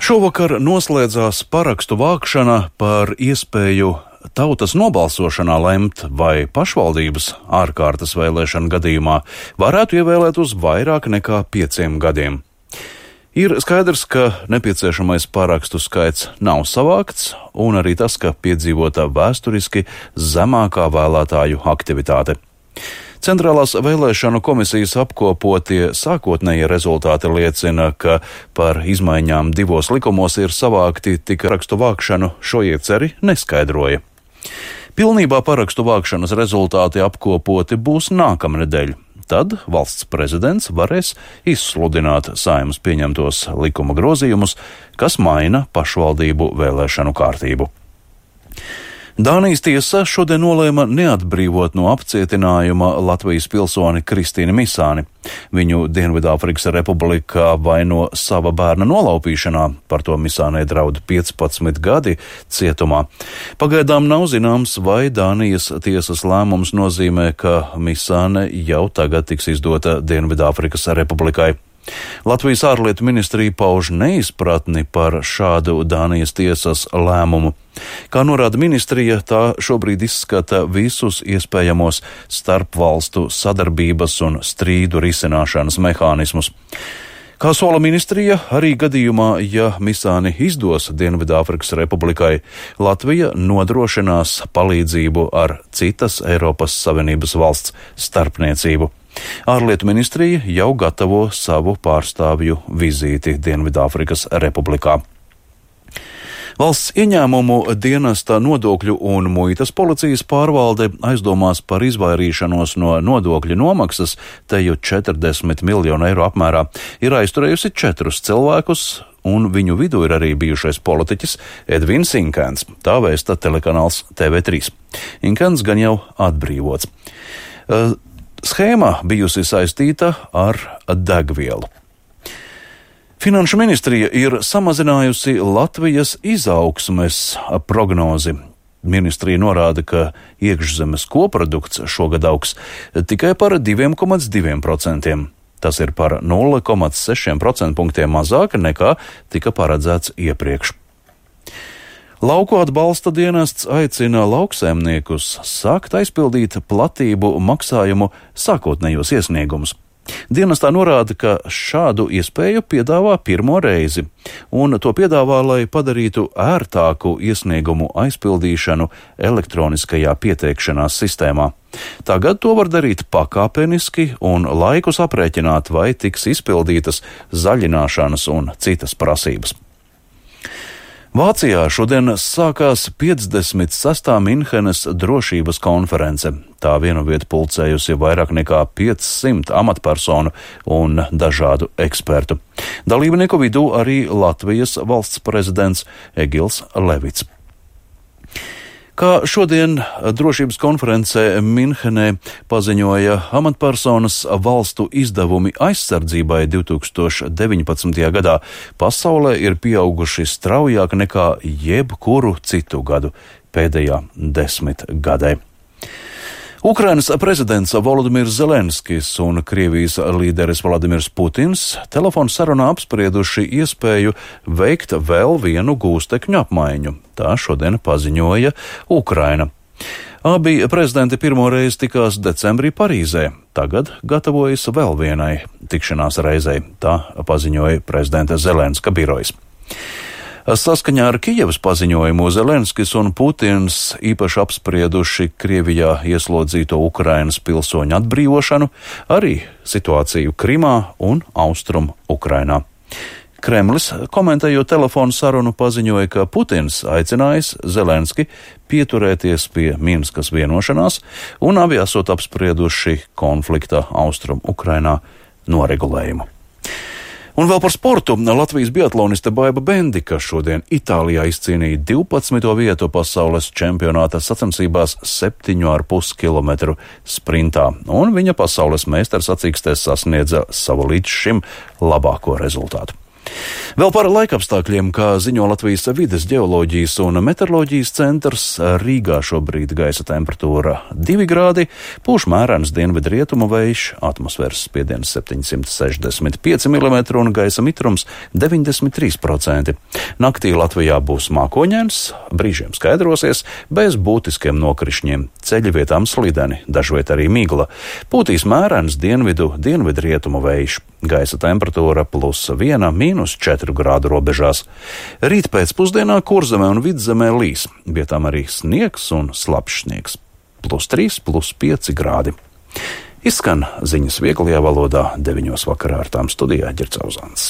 Šovakar noslēdzās parakstu vākšana par iespēju tautas nobalsošanā lemt, vai pašvaldības ārkārtas vēlēšana gadījumā varētu ievēlēt uz vairāk nekā 5 gadiem. Ir skaidrs, ka nepieciešamais parakstu skaits nav savākts, un arī tas, ka piedzīvota vēsturiski zemākā vēlētāju aktivitāte. Centrālās vēlēšanu komisijas apkopotie sākotnējie rezultāti liecina, ka par izmaiņām 2 likumos ir savākti, tik parakstu vākšanu šo ieceri neskaidroja. Pilnībā parakstu vākšanas rezultāti apkopoti būs nākamnedēļ. Tad valsts prezidents varēs izsludināt Saeimas pieņemtos likuma grozījumus, kas maina pašvaldību vēlēšanu kārtību. Dānijas tiesa šodien nolēma neatbrīvot no apcietinājuma Latvijas pilsoni Kristīnu Misāni. Viņu Dienvidāfrikas Republikā vaino sava bērna nolaupīšanā, par to Misānei draud 15 gadi cietumā. Pagaidām nav zināms, vai Dānijas tiesas lēmums nozīmē, ka Misāne jau tagad tiks izdota Dienvidāfrikas Republikai. Latvijas ārlietu ministrija pauž neizpratni par šādu Dānijas tiesas lēmumu. Kā norāda ministrija, tā šobrīd izskata visus iespējamos starpvalstu sadarbības un strīdu risināšanas mehānismus. Kā sola ministrija, arī gadījumā, ja Misāni izdos Dienvidāfrikas Republikai, Latvija nodrošinās palīdzību ar citas Eiropas Savienības valsts starpniecību. Ārlietu ministrija jau gatavo savu pārstāvju vizīti Dienvidāfrikas Republikā. Valsts ieņēmumu dienesta nodokļu un muitas policijas pārvalde aizdomās par izvairīšanos no nodokļu nomaksas teju 40 miljonu eiro apmērā ir aizturējusi 4 cilvēkus, un viņu vidū ir arī bijušais politiķis Edvins Inkens, tā vēsta telekanāls TV3. Inkens gan jau atbrīvots. Schēma bijusi saistīta ar degvielu. Finanšu ministrija ir samazinājusi Latvijas izaugsmes prognozi. Ministrija norāda, ka iekšzemes koprodukts šogad augs tikai par 2,2%. Tas ir par 0,6% punktiem mazāk nekā tika paredzēts iepriekš. Lauku atbalsta dienests aicina lauksaimniekus sākt aizpildīt platību maksājumu sākotnējos iesniegumus. Dienestā norāda, ka šādu iespēju piedāvā pirmo reizi, un to piedāvā, lai padarītu ērtāku iesniegumu aizpildīšanu elektroniskajā pieteikšanās sistēmā. Tagad to var darīt pakāpeniski un laikus aprēķināt, vai tiks izpildītas zaļināšanas un citas prasības. Vācijā šodien sākās 56. Minhenes drošības konference. Tā vienvieta pulcējusi vairāk nekā 500 amatpersonu un dažādu ekspertu. Dalībnieku vidū arī Latvijas valsts prezidents Egils Levits. Kā šodien drošības konferencē Minhenē paziņoja amatpersonas, valstu izdevumi aizsardzībai 2019. gadā pasaulē ir pieauguši straujāk nekā jebkuru citu gadu pēdējā 10 gadē. Ukrainas prezidents Volodimirs Zelenskis un Krievijas līderis Vladimirs Putins telefonu sarunā apsprieduši iespēju veikt vēl vienu gūstekņu apmaiņu. Tā šodien paziņoja Ukraina. Abi prezidenti pirmo reizi tikās decembrī Parīzē. Tagad gatavojas vēl vienai tikšanās reizei. Tā paziņoja prezidenta Zelenska birojs. Saskaņā ar Kijevas paziņojumu Zelenskis un Putins īpaši apsprieduši Krievijā ieslodzīto Ukrainas pilsoņu atbrīvošanu, arī situāciju Krimā un Austrum Ukrainā. Kremlis, komentējot telefonu sarunu, paziņoja, ka Putins aicinājis Zelenski pieturēties pie Minskas vienošanās, un abi esot apsprieduši konflikta Austrum Ukrainā noregulējumu. Un vēl par sportu. Latvijas biatloniste Baiba Bendika šodien Itālijā izcīnīja 12. vietu pasaules čempionāta sacensībās 7,5 km sprintā, un viņa pasaules meistars sacīkstēs sasniedza savu līdz šim labāko rezultātu. Vēl par laikapstākļiem, kā ziņo Latvijas vides ģeoloģijas un meteoroloģijas centrs, Rīgā šobrīd gaisa temperatūra 2 grādi, pūš mērens dienvidrietumu vējš, atmosfēras spiediens 765 mm un gaisa mitrums 93%. Naktī Latvijā būs mākoņains, brīžiem skaidrosies, bez būtiskiem nokrišņiem, ceļi vietām slideni, dažviet arī migla. Pūtīs mērens dienvidrietumu vējš, gaisa temperatūra +1, -4 grādu robežās. Rīt pēcpusdienā Kurzemē un Vidzemē līs, vietām arī sniegs un slapjš sniegs. +3, +5 grādi. Izskan ziņas vieglajā valodā 9 vakarā ar tām studijā Ģercauzāns.